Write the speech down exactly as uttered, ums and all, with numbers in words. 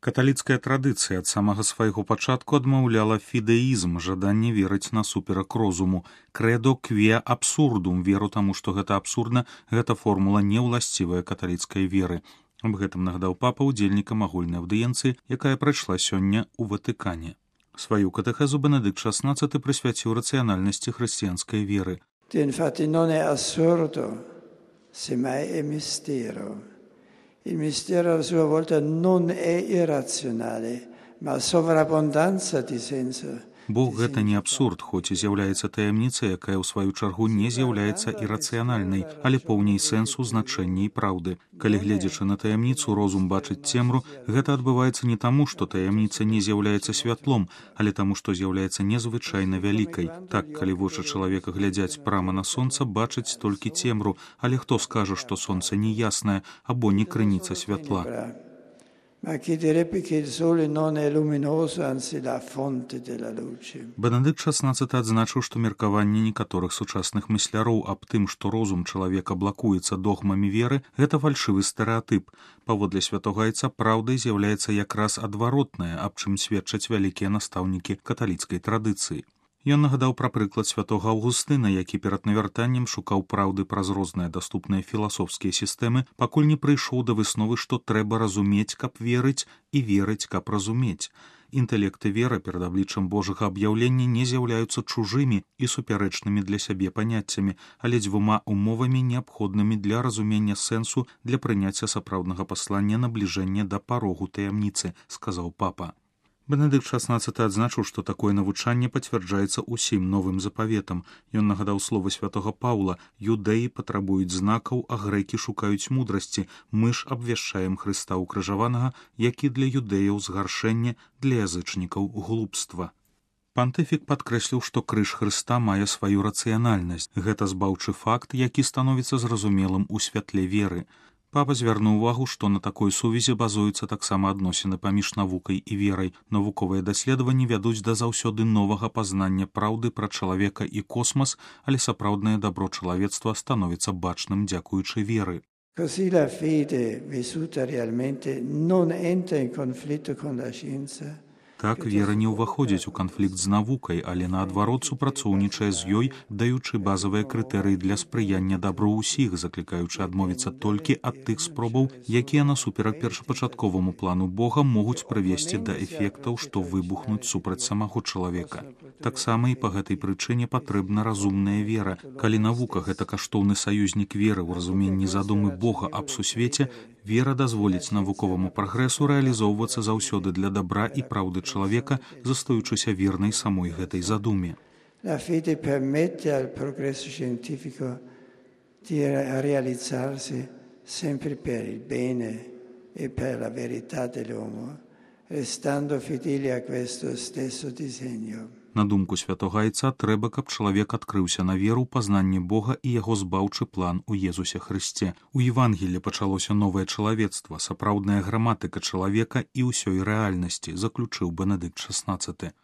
Каталіцкая традыцыя ад самага свайго пачатку адмаўляла фідэізм, жаданне верыць насуперак розуму. Крэдо кве абсурдум, веру таму, што гэта абсурдна, гэта формула неўласцівая каталіцкай веры. Аб гэтым нагадаў папа ўдзельнікам агульнай аўдыенцыі, якая прайшла сёння ў Ватыкане. Сваю катэхезу Бенедыкт шаснаццаты прысвяціў рацыянальнасці хрысціянскай веры. Infatti non è assurdo, semmai è mistero. Il mistero a sua volta non è irrazionale, ma sovrabbondanza di senso. Бог гэта не абсурд, хоць і з'яўляецца таямніцай, якая ў сваю чаргу не з'яўляецца ірацыянальнай, але поўней сэнсу, значэння і праўды. Калі гледзячы на таямніцу розум бачыць цемру, гэта адбываецца не таму, што таямніца не з'яўляецца святлом, але таму, што з'яўляецца незвычайна вялікай. Так, калі вочы чалавека глядзяць прама на сонца, бачаць толькі цемру, але хто скажа, што сонца не яснае або не крыніца святла? Ma chi direbbe che il sole non è luminoso, anzi la fonte della luce. Бенедыкт шаснаццаты адзначыў, што меркаванне некаторых сучасных мысляроў аб тым, што розум чалавека блакуецца догмамі веры, гэта фальшывы стэрэатып. Паводле святога айца праўдай з'яўляецца якраз адваротнае, аб чым сведчаць вялікія настаўнікі каталіцкай традыцыі. Ён нагадаў пра прыклад святога Аўгустына, які перад навяртаннем шукаў праўды праз розныя даступныя філасофскія сістэмы, пакуль не прыйшоў да высновы, што трэба разумець, каб верыць, і верыць, каб разумець. Інтэлект і вера перад абліччам Божага аб'яўлення не з'яўляюцца чужымі і супярэчнымі для сябе паняццямі, але дзвюма умовамі, неабходнымі для разумення сэнсу, для прыняцця сапраўднага паслання набліжэння да парогу таямніцы, сказаў папа. Бенедыкт шаснаццаты адзначыў, што такое навучанне пацвярджаецца ўсім новым запаветам. Ён нагадаў словы святога Паўла: «Юдэі патрабуюць знакаў, а грэкі шукаюць мудрасці. Мы ж абвяшчаем Хрыста укрыжаванага, які для юдэяў згаршэнне, для язычнікаў глупства». Пантыфік падкрэсліў, што крыж Хрыста мае сваю рацыянальнасць. Гэта збаўчы факт, які становіцца зразумелым у святле веры. Папа звярнуў увагу, што на такой сувязі базуюцца таксама адносіны паміж навукай і верай. Навуковыя даследаванні вядуць да заўсёды новага пазнання праўды пра чалавека і космас, але сапраўднае дабро чалавецтва становіцца бачным дзякуючы веры. Così la fede vissuta realmente non entra in conflitto con la scienza. Так, вера не ўваходзіць у канфлікт з навукай, але наадварот супрацоўнічае з ёй, даючы базавыя крытэрыі для спрыяння дабру ўсіх, заклікаючы адмовіцца толькі ад тых спробаў, якія насуперак першапачатковаму плану Бога могуць прывесці да эфектаў, што выбухнуць супраць самого чалавека. Таксама і па гэтай прычыне патрэбна разумная вера. Калі навука гэта каштоўны саюзнік веры ў разуменні задумы Бога аб сусвеце, вера дазволіць навуковаму прагрэсу рэалізоўвацца заўсёды для дабра і праўды чалавека, застаючыся вернай самой гэтай задуме. La fede permette al progresso scientifico di realizzarsi sempre per il bene e per la verità dell'uomo, restando fedeli a questo stesso disegno. На думку святога айца, трэба, каб чалавек адкрыўся на веру, пазнанне Бога і яго збаўчы план у Езусе Хрысце. У Евангеллі пачалося новае чалавецтва, сапраўдная граматыка чалавека і ўсёй рэальнасці, заключыў Бенедыкт шаснаццаты.